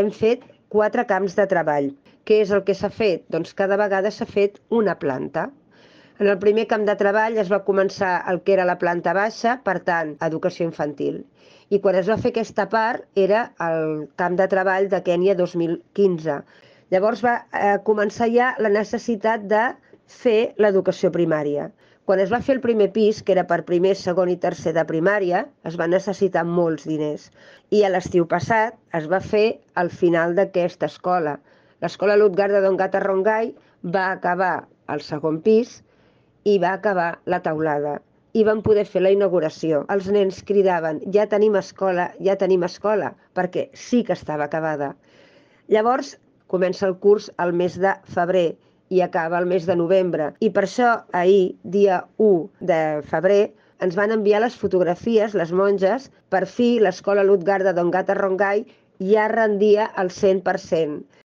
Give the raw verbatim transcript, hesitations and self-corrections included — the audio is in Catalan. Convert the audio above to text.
hem fet quatre camps de treball. Què és el que s'ha fet? Doncs cada vegada s'ha fet una planta. En el primer camp de treball es va començar el que era la planta baixa, per tant, educació infantil. I quan es va fer aquesta part era el camp de treball de Kènia dos mil quinze. Llavors va eh, començar ja la necessitat de fer l'educació primària. Quan es va fer el primer pis, que era per primer, segon i tercer de primària, es va necessitar molts diners. I a l'estiu passat es va fer el final d'aquesta escola. L'escola Lutgarda Dongata Rongai va acabar el segon pis i va acabar la teulada. I vam poder fer la inauguració. Els nens cridaven, ja tenim escola, ja tenim escola, perquè sí que estava acabada. Llavors comença el curs al mes de febrer i acaba el mes de novembre. I per això ahir, dia u de febrer, ens van enviar les fotografies, les monges, per fi l'escola Lutgarda Dongata Rongai ja rendia al cent per cent.